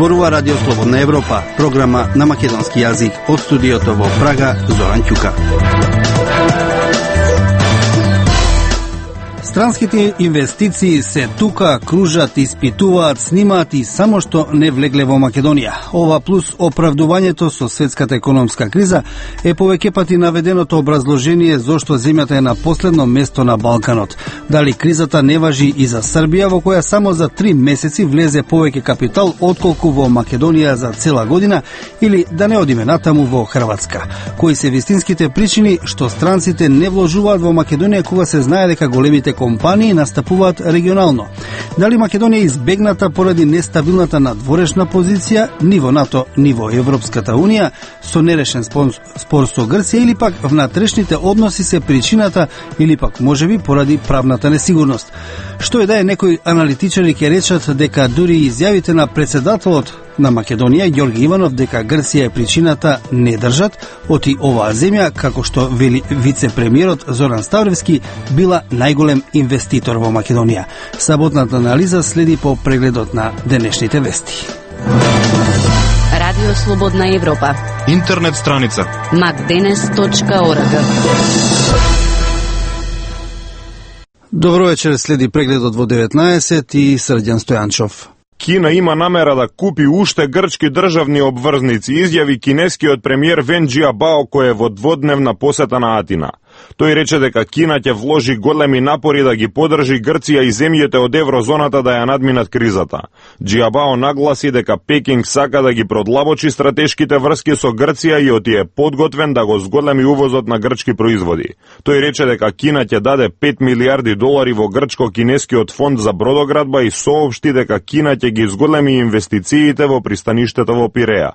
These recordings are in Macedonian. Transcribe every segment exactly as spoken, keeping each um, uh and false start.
Зборува Радио Слободна Европа, програма на македонски јазик од студиото во Прага, Зоран Ќука. Странските инвестиции се тука, кружат, испитуваат, снимаат и само што не влегле во Македонија. Ова плюс оправдувањето со светската економска криза е повеќе пати наведеното образложение зошто земјата е на последно место на Балканот. Дали кризата не важи и за Србија, во која само за три месеци влезе повеќе капитал отколку во Македонија за цела година, или да не одиме натаму во Хрватска. Кои се вистинските причини што странците не вложуваат во Македонија кога се знае дека големите компании настапуваат регионално? Дали Македонија е избегната поради нестабилната надворешна позиција, ниво НАТО, ниво Европската Унија, со нерешен спор со Грција, или пак внатрешните односи се причината, или пак можеби поради правната несигурност? Што е да е, некои аналитичари ќе речат дека дури изјавите на председателот на Македонија, Ѓорги Иванов, дека Грција е причината, не држат, оти оваа земја, како што вели вице-премиерот Зоран Ставревски, била најголем инвеститор во Македонија. Саботната анализа следи по прегледот на денешните вести. Радио Слободна Европа. Интернет страница макденес точка орг. Добро вечер, следи прегледот во деветнаесет и Срđan Стојанчов. Кина има намера да купи уште грчки државни обврзници, изјави кинескиот премиер Вен Џиабао, кој е во дводневна посета на Атина. Тој рече дека Кина ќе вложи големи напори да ги подржи Грција и земјите од еврозоната да ја надминат кризата. Џиабао нагласи дека Пекинг сака да ги продлабочи стратешките врски со Грција и оти е подготвен да го зголеми увозот на грчки производи. Тој рече дека Кина ќе даде пет милиарди долари во грчко-кинескиот фонд за бродоградба и соопшти дека Кина ќе ги зголеми инвестициите во пристаништето во Пиреа.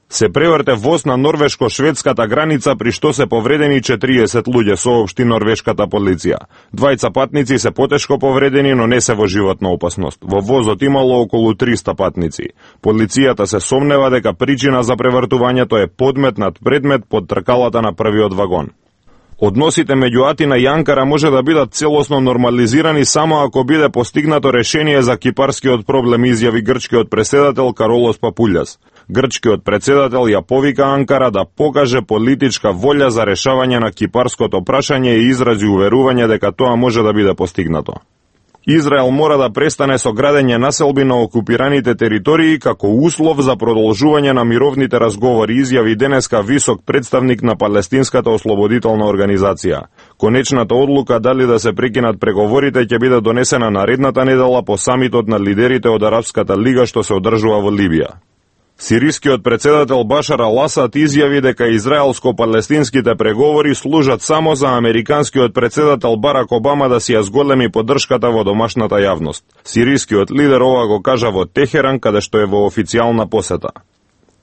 Се преврте воз на норвешко-шведската граница, при што се повредени четириесет луѓе, соопшти норвешката полиција. Двајца патници се потешко повредени, но не се во животна опасност. Во возот имало околу триста патници. Полицијата се сомнева дека причина за превртувањето е подметнат предмет под тркалата на првиот вагон. Односите меѓу Атина и Анкара може да бидат целосно нормализирани само ако биде постигнато решение за кипарскиот проблем, изјави грчкиот претседател Каролос Папулјас. Грчкиот претседател ја повика Анкара да покаже политичка волја за решавање на кипарското прашање и изрази уверување дека тоа може да биде постигнато. Израел мора да престане со градење населби на окупираните територии како услов за продолжување на мировните разговори, изјави денеска висок представник на Палестинската ослободителна организација. Конечната одлука дали да се прекинат преговорите ќе биде донесена наредната недела по самитот на лидерите од Арапската лига што се одржува во Либија. Сирискиот претседател Башар ал-Асад изјави дека израелско-палестинските преговори служат само за американскиот претседател Барак Обама да си ја зголеми поддршката во домашната јавност. Сирискиот лидер ова го кажа во Техеран, каде што е во официјална посета.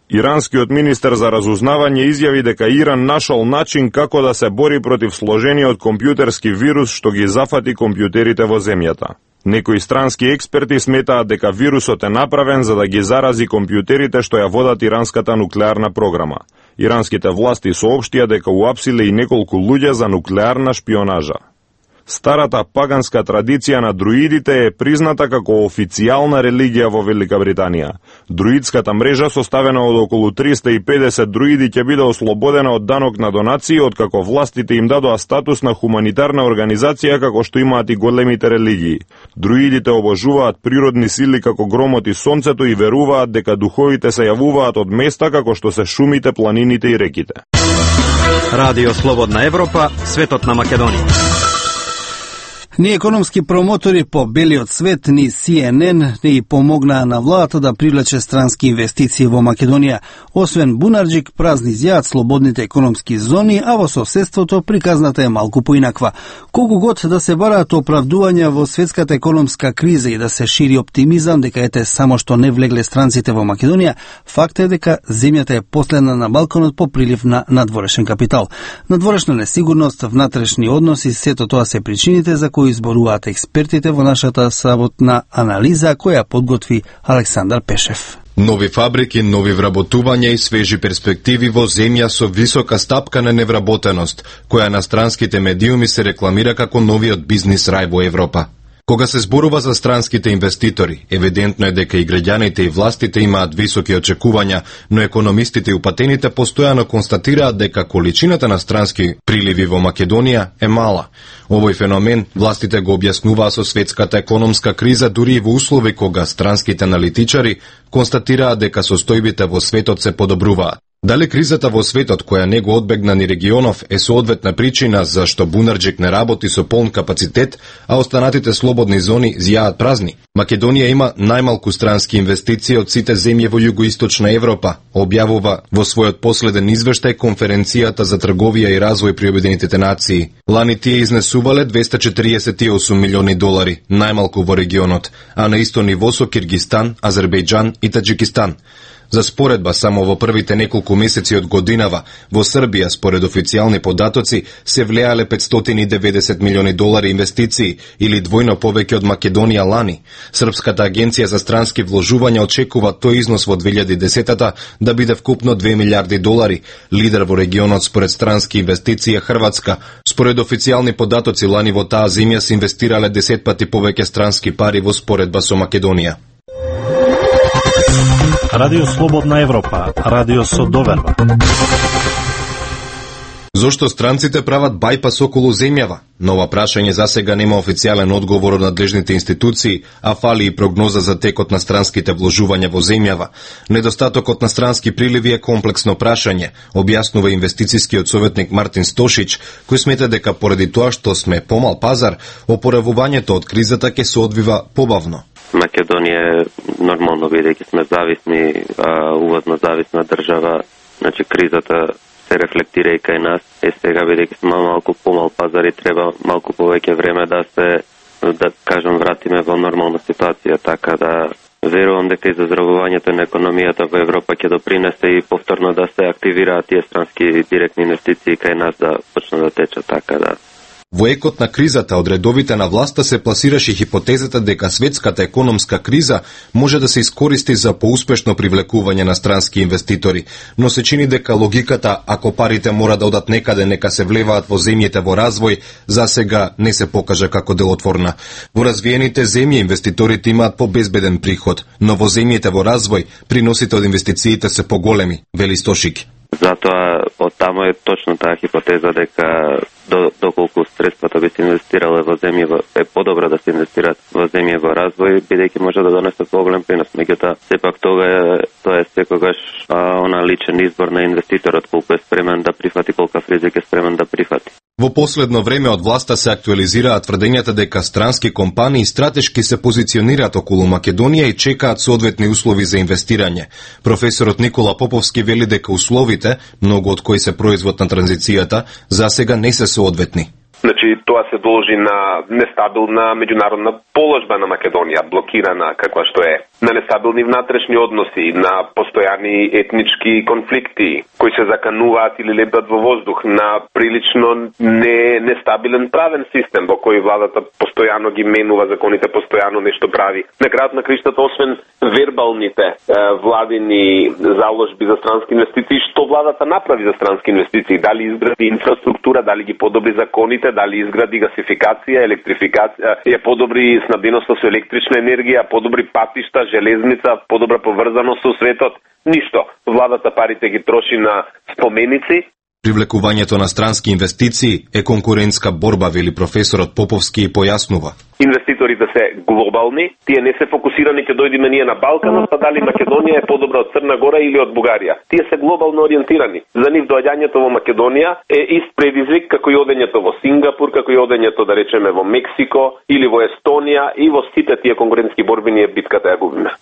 Иранскиот министер за разузнавање изјави дека Иран нашол начин како да се бори против сложениот компјутерски вирус што ги зафати компјутерите во земјата. Некои странски експерти сметаат дека вирусот е направен за да ги зарази компјутерите што ја водат иранската нуклеарна програма. Иранските власти соопштија дека уапсиле и неколку луѓе за нуклеарна шпионажа. Старата паганска традиција на друидите е призната како официјална религија во Велика Британија. Друидската мрежа, составена од околу триста и педесет друиди, ќе биде ослободена од данок на донации, откако властите им дадоа статус на хуманитарна организација како што имаат и големите религии. Друидите обожуваат природни сили како громот и сонцето и веруваат дека духовите се јавуваат од места како што се шумите, планините и реките. Радио Слободна Европа, светот на Македонија. Ни економски промотори по белиот свет, ни Си Ен Ен ни помогнаа на владата да привлече странски инвестиции во Македонија. Освен бунарџик, празни зјаат слободните економски зони, а во соседството приказната е малку поинаква. Колку год да се бараат оправдувања во светската економска криза и да се шири оптимизам дека ете само што не влегле странците во Македонија, факт е дека земјата е последна на Балканот по прилив на надворешен капитал. Надворешна несигурност, внатрешни односи, сето тоа се причините за кои изборуваат експертите во нашата саботна анализа која подготви Александар Пешев. Нови фабрики, нови вработувања и свежи перспективи во земја со висока стапка на невработеност, која на странските медиуми се рекламира како новиот бизнис рај во Европа. Кога се зборува за странските инвеститори, евидентно е дека и граѓаните и властите имаат високи очекувања, но економистите и упатените постојано констатираат дека количината на странски приливи во Македонија е мала. Овој феномен властите го објаснуваа со светската економска криза, дури и во услови кога странските аналитичари констатираат дека состојбите во светот се подобруваат. Дали кризата во светот, која не го одбегна ни регионов, е соодветна причина зашто Бунарџик не работи со полн капацитет, а останатите слободни зони зјаат празни? Македонија има најмалку странски инвестиции од сите земји во југоисточна Европа, објавува во својот последен извештај Конференцијата за трговија и развој при Обединетите нации. Лани тие изнесувале двесте четириесет и осум милиони долари, најмалку во регионот, а на исто ниво со Киргистан, Азербејџан и Таџикистан. За споредба, само во првите неколку месеци од годинава, во Србија, според официјални податоци, се влеале петстотини и деветдесет милиони долари инвестиции, или двојно повеќе од Македонија лани. Српската агенција за странски вложувања очекува тој износ во две илјади и десетата да биде вкупно две милијарди долари. Лидер во регионот според странски инвестиции е Хрватска. Според официјални податоци, лани во таа земја се инвестирале десет пати повеќе странски пари во споредба со Македонија. Радио Слободна Европа, радио со доверба. Зошто странците прават бајпас околу земјава? На ова прашање засега нема официјален одговор од надлежните институции, а фали и прогноза за текот на странските вложувања во земјава. Недостатокот на странски приливи е комплексно прашање, објаснува инвестицискиот советник Мартин Стошич, кој смета дека поради тоа што сме помал пазар, опоравувањето од кризата ќе се одвива побавно. Македонија е нормално, бидејќи сме зависни, а, увозно зависна држава, значи кризата се рефлектира и кај нас. Е сега, бидејќи сме малку помал пазар и треба малку повеќе време да се, да кажам, вратиме во нормална ситуација, така да верувам дека и заздравувањето на економијата во Европа ќе допринесе и повторно да се активираат тие странски директни инвестиции кај нас да почнат да течат, така да. Во екот на кризата од редовите на власта се пласираше хипотезата дека светската економска криза може да се искористи за поуспешно привлекување на странски инвеститори, но се чини дека логиката, ако парите мора да одат некаде, нека се влеваат во земјите во развој, засега не се покажа како делотворна. Во развиените земји инвеститорите имаат побезбеден приход, но во земјите во развој приносите од инвестициите се поголеми, вели Стошик. Затоа од таму е точно таа хипотеза дека до, доколку средствата би се инвестирале во земји, е подобро да се инвестираат во земји во развој, бидејќи може да донесат поголем принос. Меѓутоа, сепак тоа е, тоа е секогаш а, она личен избор на инвеститорот, колку е спремен да прифати, колкав ризик е спремен да прифати. Во последно време од власта се актуализираат тврдењата дека странски компании стратешки се позиционираат околу Македонија и чекаат соодветни услови за инвестирање. Професорот Никола Поповски вели дека условите, многу од кои се производ на транзицијата, засега не се соодветни. Значи, тоа се должи на нестабилна меѓународна положба на Македонија, блокирана каква што е, на нестабилни внатрешни односи, на постојани етнички конфликти кои се закануваат или лебдат во воздух, на прилично не, нестабилен правен систем во кој владата постојано ги менува законите, постојано нешто прави. На крајот на криштата, освен вербалните е, владини заложби за странски инвестиции, што владата направи за странски инвестиции? Дали изгради инфраструктура, дали ги подобри законите, дали изгради гасификација, електрификација, ја подобри снабденоста со електрична енергија, подобри патишта, железница, подобра поврзаност со светот? Ништо. Владата парите ги троши на споменици. Привлекувањето на странски инвестиции е конкурентска борба, вели професорот Поповски и појаснува. Инвеститорите се глобални, тие не се фокусирани ќе дојдеме ние на Балканот, па дали Македонија е подобра од Црна Гора или од Бугарија. Тие се глобално ориентирани. За нив доаѓањето во Македонија е ист предизвик како и одењето во Сингапур, како и одењето, да речеме, во Мексико или во Естонија, и во сите тие конкурентски борби ние битката ја губиме.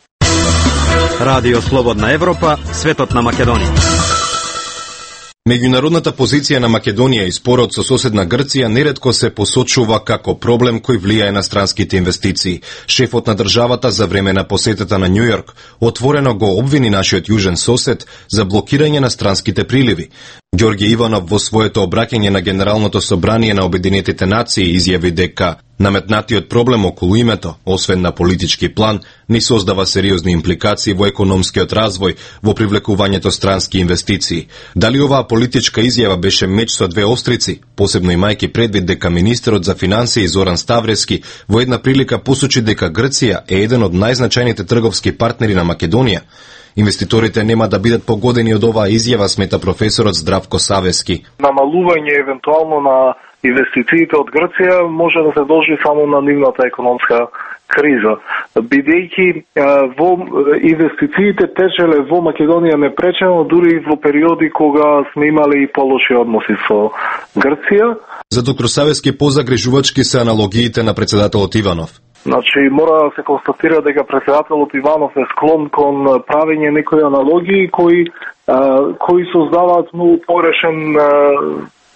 Радио Слободна Европа, светот на Македонија. Меѓународната позиција на Македонија и спорот со соседна Грција неретко се посочува како проблем кој влијае на странските инвестиции. Шефот на државата за време на посетата на Њујорк отворено го обвини нашиот јужен сосед за блокирање на странските приливи. Ѓорѓе Иванов во своето обраќање на Генералното собрание на Обединетите нации изјави дека наметнатиот проблем околу името, освен на политички план, ни создава сериозни импликации во економскиот развој, во привлекувањето странски инвестиции. Дали оваа политичка изјава беше меч со две острици, посебно имајќи предвид дека министерот за финансии Зоран Ставрески во една прилика посочи дека Грција е еден од најзначајните трговски партнери на Македонија? Инвеститорите нема да бидат погодени од оваа изјава, смета професорот Здравко Савески. Намалување евентуално на инвестициите од Грција може да се должи само на нивната економска криза, бидејќи во инвестициите течеле во Македонија непречено, дури во периоди кога сме имали и полоши односи со Грција. За доктор Савески позагрижувачки се аналогиите на председателот Иванов. Значи, мора да се констатира дека председателот Иванов е склон кон правење некои аналогии кои, а, кои создаваат многу порешен а,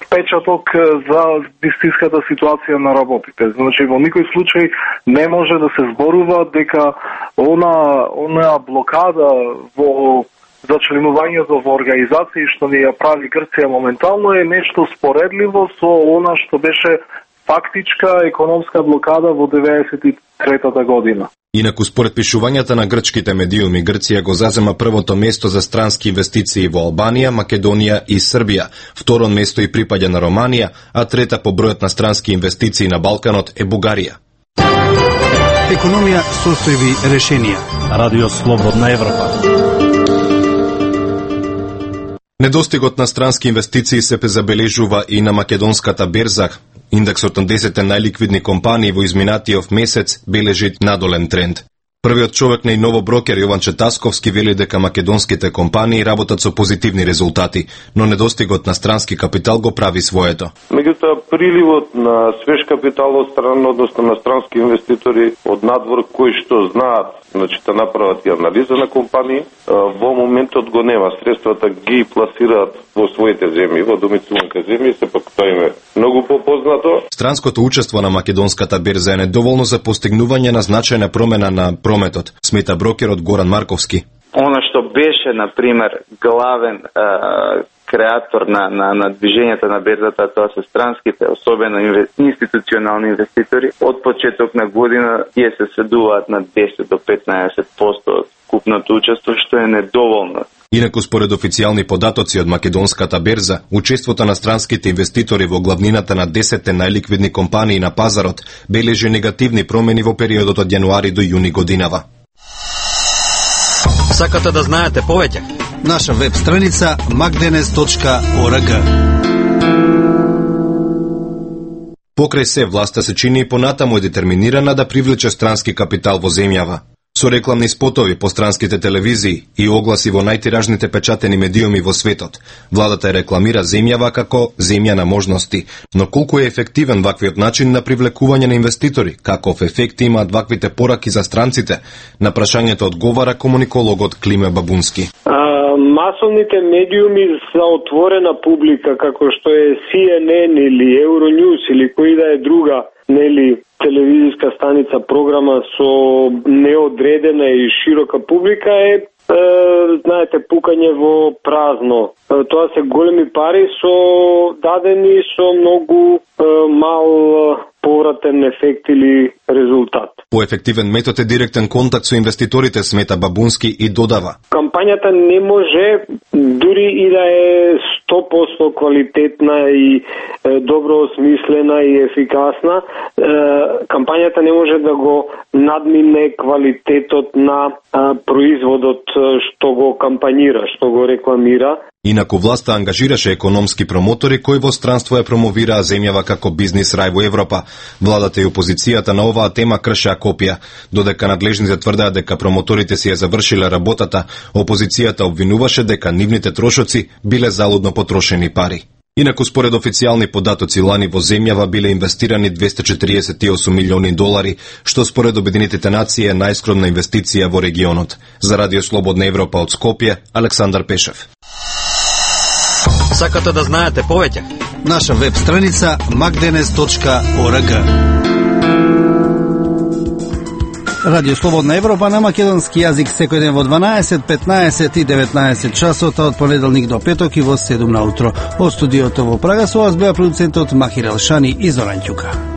печаток за вистинската ситуација на работите. Значи, во никој случај не може да се зборува дека она, она блокада во за членувањето во организации што ни ја прави Грција моментално е нешто споредливо со она што беше фактичка економска блокада во деветдесет и трета година. Инаку според пишувањата на грчките медиуми, Грција го зазема првото место за странски инвестиции во Албанија, Македонија и Србија. Второ место и припаѓа на Романија, а трета по бројот на странски инвестиции на Балканот е Бугарија. Економија, состојби, решенија. Радио Слободна Европа. Недостигот на странски инвестиции се забележува и на македонската берза. Индексот на десет најликвидни компании во изминатиот месец бележи надолен тренд. Првиот човек на и ново брокер Јован Четасковски вели дека македонските компании работат со позитивни резултати, но недостигот на странски капитал го прави своето. Меѓутоа, приливот на свеж капитал од страна, односно на странски инвеститори од надвор кои што знаат, значи да направат и анализа на компании, во моментот го нема. Средствата ги пласираат во своите земји, во домицилните земји, сепак тоа им е многу попознато. Странското учество на македонската берза е недоволно за постигнување на значајна промена на прометот, смета брокерот Горан Марковски. Она што беше, например, главен е, креатор на, на, на движењата на берзата, тоа се странските, особено институционални инвеститори, од почеток на година тие се сведуваат на десет до петнаесет проценти од купното учество, што е недоволно. Инаку според официјални податоци од македонската берза, учеството на странските инвеститори во главнината на десет најликвидни компании на пазарот бележи негативни промени во периодот од јануари до јуни годинава. Сакате да знаете повеќе? Наша веб страница макденес точка орг. Покрај се, власта се чини и понатаму е детерминирана да привлече странски капитал во земјава. Со рекламни спотови по странските телевизии и огласи во најтиражните печатени медиуми во светот, владата рекламира земјава како земја на можности. Но колку е ефективен ваквиот начин на привлекување на инвеститори? Каков ефект имаат ваквите пораки за странците? На прашањето одговара комуникологот Климе Бабунски. А, масовните медиуми за отворена публика, како што е Си Ен Ен или Евронюс или кој да е друга, нели, телевизиска станица, програма со неодредена и широка публика е, е знаете, пукање во празно. Е, тоа се големи пари со дадени со многу е, мал повратен ефект или резултат. Поефективен метод е директен контакт со инвеститорите, смета Бабунски и додава. Кампањата не може, дури и да е сто проценти квалитетна и е, добро осмислена и ефикасна, е, кампањата не може да го надмине квалитетот на е, производот што го кампањира, што го рекламира. Инаку власта ангажираше економски промотори кои во странство ја промовираа земјава како бизнис рај во Европа. Владата и опозицијата на оваа тема кршеа копија. Додека надлежните тврдеа дека промоторите си ја завршиле работата, опозицијата обвинуваше дека нивните трошоци биле залудно потрошени пари. Инаку според официјални податоци лани во земјава биле инвестирани двесте четиридесет и осум милиони долари, што според Обединетите нации е најскромна инвестиција во регионот. За Радио Слободна Европа од Скопје, Александар Пешев. Сакате да знаете повеќе? Наша веб страница макденес точка орг. Радио Слободна Европа на македонски јазик секој ден во дванаесет, петнаесет и деветнаесет часот од понеделник до петок и во седум наутро. Од студиото во Прага со вас беа продуцентот Махир Елшани и Зоран Ќука.